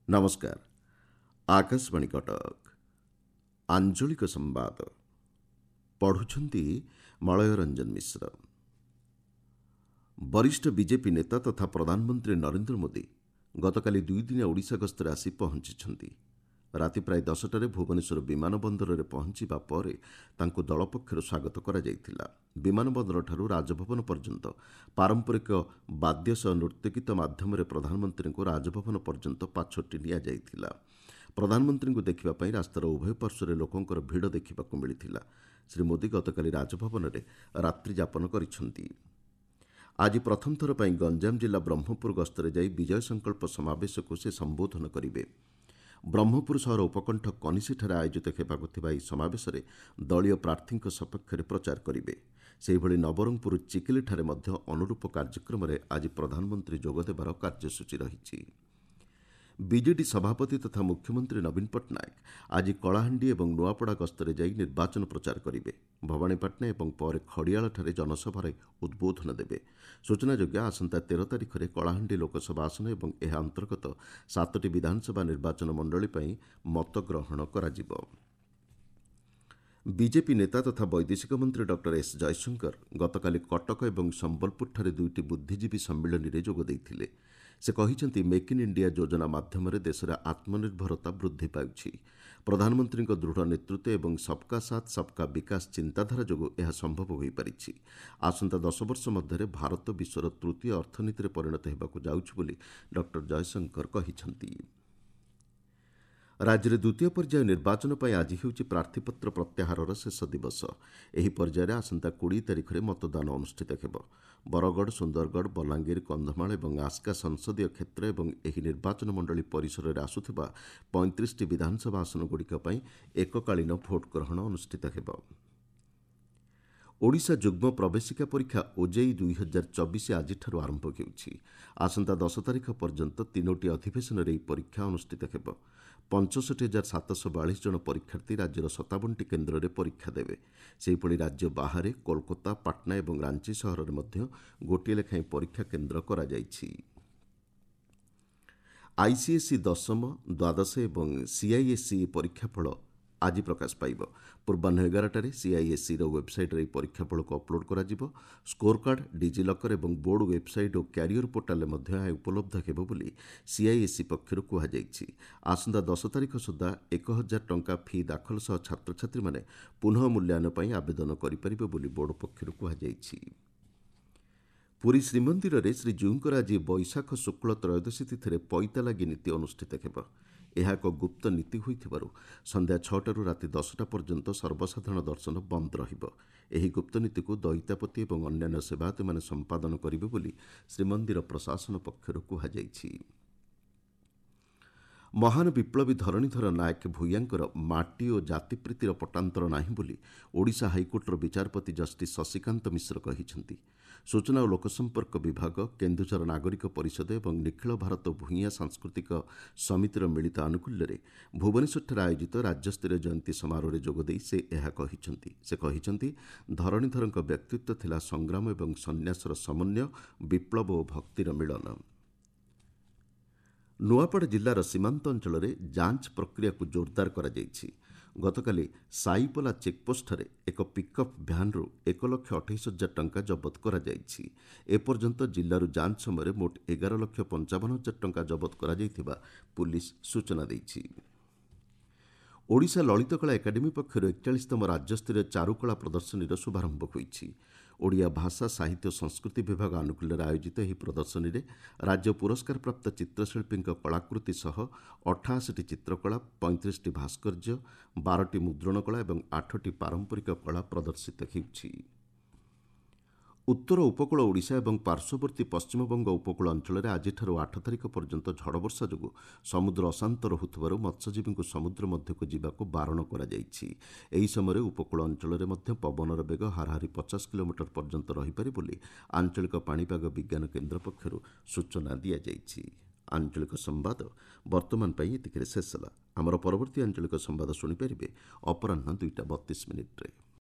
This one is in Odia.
ନମସ୍କାର, ଆକାଶବାଣୀ କଟକ। ଆଞ୍ଚଳିକ ସମ୍ବାଦ ପଢ଼ୁଛନ୍ତି ମଳୟ ରଞ୍ଜନ ମିଶ୍ର। ବରିଷ୍ଠ ବିଜେପି ନେତା ତଥା ପ୍ରଧାନମନ୍ତ୍ରୀ ନରେନ୍ଦ୍ର ମୋଦି ଗତକାଲି ଦୁଇଦିନିଆ ଓଡ଼ିଶା ଗସ୍ତରେ ଆସି ପହଞ୍ଚିଛନ୍ତି। ରାତି ପ୍ରାୟ 10ଟାରେ ଭୁବନେଶ୍ୱର ବିମାନ ବନ୍ଦରରେ ପହଞ୍ଚିବା ପରେ ତାଙ୍କୁ ଦଳ ପକ୍ଷରୁ ସ୍ୱାଗତ କରାଯାଇଥିଲା। ବିମାନ ବନ୍ଦରଠାରୁ ରାଜଭବନ ପର୍ଯ୍ୟନ୍ତ ପାରମ୍ପରିକ ବାଦ୍ୟ ସହ ନୃତ୍ୟଗୀତ ମାଧ୍ୟମରେ ପ୍ରଧାନମନ୍ତ୍ରୀଙ୍କୁ ରାଜଭବନ ପର୍ଯ୍ୟନ୍ତ ପାଛୋଟି ନିଆଯାଇଥିଲା। ପ୍ରଧାନମନ୍ତ୍ରୀଙ୍କୁ ଦେଖିବା ପାଇଁ ରାସ୍ତାର ଉଭୟ ପାର୍ଶ୍ୱରେ ଲୋକଙ୍କର ଭିଡ଼ ଦେଖିବାକୁ ମିଳିଥିଲା। ଶ୍ରୀ ମୋଦି ଗତକାଲି ରାଜଭବନରେ ରାତ୍ରିଯାପନ କରିଛନ୍ତି। ଆଜି ପ୍ରଥମ ଥର ପାଇଁ ଗଞ୍ଜାମ ଜିଲ୍ଲା ବ୍ରହ୍ମପୁର ଗସ୍ତରେ ଯାଇ ବିଜୟ ସଂକଳ୍ପ ସମାବେଶକୁ ସେ ସମ୍ବୋଧନ କରିବେ। ବ୍ରହ୍ମପୁର ସହର ଉପକଣ୍ଠ କନିଷିଠାରେ ଆୟୋଜିତ ହେବାକୁ ଥିବା ଏହି ସମାବେଶରେ ଦଳୀୟ ପ୍ରାର୍ଥୀଙ୍କ ସପକ୍ଷରେ ପ୍ରଚାର କରିବେ। ସେହିଭଳି ନବରଙ୍ଗପୁର ଚିକିଲିଠାରେ ମଧ୍ୟ ଅନୁରୂପ କାର୍ଯ୍ୟକ୍ରମରେ ଆଜି ପ୍ରଧାନମନ୍ତ୍ରୀ ଯୋଗଦେବାର କାର୍ଯ୍ୟସୂଚୀ ରହିଛି। ବିଜେଡି ସଭାପତି ତଥା ମୁଖ୍ୟମନ୍ତ୍ରୀ ନବୀନ ପଟ୍ଟନାୟକ ଆଜି କଳାହାଣ୍ଡି ଏବଂ ନୂଆପଡ଼ା ଗସ୍ତରେ ଯାଇ ନିର୍ବାଚନ ପ୍ରଚାର କରିବେ। ଭବାନୀପାଟଣା ଏବଂ ପରେ ଖଡ଼ିଆଳଠାରେ ଜନସଭାରେ ଉଦ୍ବୋଧନ ଦେବେ। ସୂଚନାଯୋଗ୍ୟ, ଆସନ୍ତା 13 ତାରିଖରେ କଳାହାଣ୍ଡି ଲୋକସଭା ଆସନ ଏବଂ ଏହା ଅନ୍ତର୍ଗତ 7ଟି ବିଧାନସଭା ନିର୍ବାଚନ ମଣ୍ଡଳୀ ପାଇଁ ମତଗ୍ରହଣ କରାଯିବ। ବିଜେପି ନେତା ତଥା ବୈଦେଶିକ ମନ୍ତ୍ରୀ ଡକ୍ଟର ଏସ୍ ଜୟଶଙ୍କର ଗତକାଲି କଟକ ଏବଂ ସମ୍ବଲପୁରଠାରେ ଦୁଇଟି ବୁଦ୍ଧିଜୀବୀ ସମ୍ମିଳନୀରେ ଯୋଗ ଦେଇଥିଲେ। ସେ କହିଛନ୍ତି, ମେକ୍ ଇନ୍ ଇଣ୍ଡିଆ ଯୋଜନା ମାଧ୍ୟମରେ ଦେଶରେ ଆତ୍ମନିର୍ଭରତା ବୃଦ୍ଧି ପାଉଛି। ପ୍ରଧାନମନ୍ତ୍ରୀଙ୍କ ଦୃଢ଼ ନେତୃତ୍ୱ ଏବଂ ସବ୍କା ସାଥ୍ ସବ୍କା ବିକାଶ ଚିନ୍ତାଧାରା ଯୋଗୁଁ ଏହା ସମ୍ଭବ ହୋଇପାରିଛି। ଆସନ୍ତା 10 ବର୍ଷ ମଧ୍ୟରେ ଭାରତ ବିଶ୍ୱର ତୃତୀୟ ଅର୍ଥନୀତିରେ ପରିଣତ ହେବାକୁ ଯାଉଛି ବୋଲି ଡକ୍ଟର ଜୟଶଙ୍କର କହିଛନ୍ତି। ରାଜ୍ୟରେ ଦ୍ୱିତୀୟ ପର୍ଯ୍ୟାୟ ନିର୍ବାଚନ ପାଇଁ ଆଜି ହେଉଛି ପ୍ରାର୍ଥୀପତ୍ର ପ୍ରତ୍ୟାହାରର ଶେଷ ଦିବସ। ଏହି ପର୍ଯ୍ୟାୟରେ ଆସନ୍ତା 20 ତାରିଖରେ ମତଦାନ ଅନୁଷ୍ଠିତ ହେବ। ବରଗଡ଼, ସୁନ୍ଦରଗଡ଼, ବଲାଙ୍ଗୀର, କନ୍ଧମାଳ ଏବଂ ଆସ୍କା ସଂସଦୀୟ କ୍ଷେତ୍ର ଏବଂ ଏହି ନିର୍ବାଚନ ମଣ୍ଡଳୀ ପରିସରରେ ଆସୁଥିବା 35ଟି ବିଧାନସଭା ଆସନଗୁଡ଼ିକ ପାଇଁ ଏକକାଳୀନ ଭୋଟ୍ ଗ୍ରହଣ ଅନୁଷ୍ଠିତ ହେବ। ଓଡ଼ିଶା ଯୁଗ୍ମ ପ୍ରବେଶିକା ପରୀକ୍ଷା ଓଜେଇଇ 2024 ଆଜିଠାରୁ ଆରମ୍ଭ ହେଉଛି। ଆସନ୍ତା 10 ତାରିଖ ପର୍ଯ୍ୟନ୍ତ 3ଟି ଅଧିବେଶନରେ ଏହି ପରୀକ୍ଷା ଅନୁଷ୍ଠିତ ହେବ। 65,742 ଜଣ ପରୀକ୍ଷାର୍ଥୀ ରାଜ୍ୟର 57ଟି କେନ୍ଦ୍ରରେ ପରୀକ୍ଷା ଦେବେ। ସେହିଭଳି ରାଜ୍ୟ ବାହାରେ କୋଲକାତା, ପାଟନା ଏବଂ ରାଞ୍ଚି ସହରରେ ମଧ୍ୟ ଗୋଟିଏ ଲେଖାଏଁ ପରୀକ୍ଷା କେନ୍ଦ୍ର କରାଯାଇଛି। ଆଇସିଏସ୍ଇ ଦଶମ, ଦ୍ୱାଦଶ ଏବଂ ସିଆଇଏସ୍ଇ ପରୀକ୍ଷାଫଳ ଆଜି ପ୍ରକାଶ ପାଇବ। ପୂର୍ବାହ୍ନ 11ଟାରେ ସିଆଇଏସ୍ଇର ୱେବ୍ସାଇଟ୍ରେ ଏହି ପରୀକ୍ଷାଫଳକୁ ଅପଲୋଡ୍ କରାଯିବ। ସ୍କୋର କାର୍ଡ, ଡିଜିଲକର ଏବଂ ବୋର୍ଡ ୱେବ୍ସାଇଟ୍ ଓ କ୍ୟାରିୟର ପୋର୍ଟାଲରେ ମଧ୍ୟ ଏହା ଉପଲବ୍ଧ ହେବ ବୋଲି ସିଆଇଏସ୍ଇ ପକ୍ଷରୁ କୁହାଯାଇଛି। ଆସନ୍ତା 10 ତାରିଖ ସୁଦ୍ଧା 1000 ଟଙ୍କା ଫି ଦାଖଲ ସହ ଛାତ୍ରଛାତ୍ରୀମାନେ ପୁନଃ ମୂଲ୍ୟାୟନ ପାଇଁ ଆବେଦନ କରିପାରିବେ ବୋଲି ବୋର୍ଡ ପକ୍ଷରୁ କୁହାଯାଇଛି। ପୁରୀ ଶ୍ରୀମନ୍ଦିରରେ ଶ୍ରୀଜୀଉଙ୍କର ଆଜି ବୈଶାଖ ଶୁକ୍ଳ ତ୍ରୟୋଦଶୀ ତିଥିରେ ପଇତାଲାଗି ନୀତି ଅନୁଷ୍ଠିତ ହେବ। ଏହା ଏକ ଗୁପ୍ତ ନୀତି ହୋଇଥିବାରୁ ସନ୍ଧ୍ୟା 6ଟାରୁ ରାତି 10ଟା ପର୍ଯ୍ୟନ୍ତ ସର୍ବସାଧାରଣ ଦର୍ଶନ ବନ୍ଦ ରହିବ। ଏହି ଗୁପ୍ତ ନୀତିକୁ ଦଇତାପତି ଏବଂ ଅନ୍ୟାନ୍ୟ ସେବାୟତମାନେ ସମ୍ପାଦନ କରିବେ ବୋଲି ଶ୍ରୀମନ୍ଦିର ପ୍ରଶାସନ ପକ୍ଷରୁ କୁହାଯାଇଛି। ମହାନ ବିପ୍ଳବୀ ଧରଣୀଧର ନାୟକ ଭୂୟାଁଙ୍କର ମାଟି ଓ ଜାତିପ୍ରୀତିର ପଟାନ୍ତର ନାହିଁ ବୋଲି ଓଡ଼ିଶା ହାଇକୋର୍ଟର ବିଚାରପତି ଜଷ୍ଟିସ୍ ଶଶିକାନ୍ତ ମିଶ୍ର କହିଛନ୍ତି। ସୂଚନା ଓ ଲୋକସମ୍ପର୍କ ବିଭାଗ, କେନ୍ଦୁଝର ନାଗରିକ ପରିଷଦ ଏବଂ ନିଖିଳ ଭାରତ ଭୂୟାଁ ସାଂସ୍କୃତିକ ସମିତିର ମିଳିତ ଆନୁକୂଲ୍ୟରେ ଭୁବନେଶ୍ୱରଠାରେ ଆୟୋଜିତ ରାଜ୍ୟସ୍ତରୀୟ ଜୟନ୍ତୀ ସମାରୋହରେ ଯୋଗଦେଇ ସେ ଏହା କହିଛନ୍ତି। ସେ କହିଛନ୍ତି, ଧରଣୀଧରଙ୍କ ବ୍ୟକ୍ତିତ୍ୱ ଥିଲା ସଂଗ୍ରାମ ଏବଂ ସନ୍ନ୍ୟାସର ସମନ୍ୱୟ, ବିପ୍ଳବ ଓ ଭକ୍ତିର ମିଳନ। ନୂଆପଡ଼ା ଜିଲ୍ଲାର ସୀମାନ୍ତ ଅଞ୍ଚଳରେ ଯାଞ୍ଚ ପ୍ରକ୍ରିୟାକୁ ଜୋରଦାର କରାଯାଇଛି। ଗତକାଲି ସାଇପଲା ଚେକ୍ପୋଷ୍ଟଠାରେ ଏକ ପିକ୍ଅପ୍ ଭ୍ୟାନ୍ରୁ 1,28,000 ଟଙ୍କା ଜବତ କରାଯାଇଛି। ଏପର୍ଯ୍ୟନ୍ତ ଜିଲ୍ଲାରୁ ଯାଞ୍ଚ ସମୟରେ ମୋଟ 11,55,000 ଟଙ୍କା ଜବତ କରାଯାଇଥିବା ପୁଲିସ୍ ସୂଚନା ଦେଇଛି। ଓଡ଼ିଶା ଲଳିତକଳା ଏକାଡେମୀ ପକ୍ଷରୁ 41ତମ ରାଜ୍ୟସ୍ତରୀୟ ଚାରୁକଳା ପ୍ରଦର୍ଶନୀର ଶୁଭାରମ୍ଭ ହୋଇଛି। ଓଡ଼ିଆ ଭାଷା, ସାହିତ୍ୟ ଓ ସଂସ୍କୃତି ବିଭାଗ ଆନୁକୂଲ୍ୟରେ ଆୟୋଜିତ ଏହି ପ୍ରଦର୍ଶନୀରେ ରାଜ୍ୟ ପୁରସ୍କାରପ୍ରାପ୍ତ ଚିତ୍ରଶିଳ୍ପୀଙ୍କ କଳାକୃତି ସହ 88ଟି ଚିତ୍ରକଳା, 35ଟି ଭାସ୍କର୍ଯ୍ୟ, 12ଟି ମୁଦ୍ରଣ କଳା ଏବଂ 8ଟି ପାରମ୍ପରିକ କଳା ପ୍ରଦର୍ଶିତ ହେଉଛି। ଉତ୍ତର ଉପକୂଳ ଓଡ଼ିଶା ଏବଂ ପାର୍ଶ୍ୱବର୍ତ୍ତୀ ପଶ୍ଚିମବଙ୍ଗ ଉପକୂଳ ଅଞ୍ଚଳରେ ଆଜିଠାରୁ 8 ତାରିଖ ପର୍ଯ୍ୟନ୍ତ ଝଡ଼ବର୍ଷା ଯୋଗୁଁ ସମୁଦ୍ର ଅଶାନ୍ତ ରହୁଥିବାରୁ ମତ୍ସ୍ୟଜୀବୀଙ୍କୁ ସମୁଦ୍ର ମଧ୍ୟକୁ ଯିବାକୁ ବାରଣ କରାଯାଇଛି। ଏହି ସମୟରେ ଉପକୂଳ ଅଞ୍ଚଳରେ ମଧ୍ୟ ପବନର ବେଗ ହାରାହାରି 50 କିଲୋମିଟର ପର୍ଯ୍ୟନ୍ତ ରହିପାରେ ବୋଲି ଆଞ୍ଚଳିକ ପାଣିପାଗ ବିଜ୍ଞାନ କେନ୍ଦ୍ର ପକ୍ଷରୁ ସୂଚନା ଦିଆଯାଇଛି। ଆଞ୍ଚଳିକ ସମ୍ବାଦ ବର୍ତ୍ତମାନ ପାଇଁ ଏତିକିରେ ଶେଷ ହେଲା। ଆମର ପରବର୍ତ୍ତୀ ଆଞ୍ଚଳିକ ସମ୍ବାଦ ଶୁଣିପାରିବେ ଅପରାହ୍ନ 2ଟା 32 ମିନିଟ୍ରେ।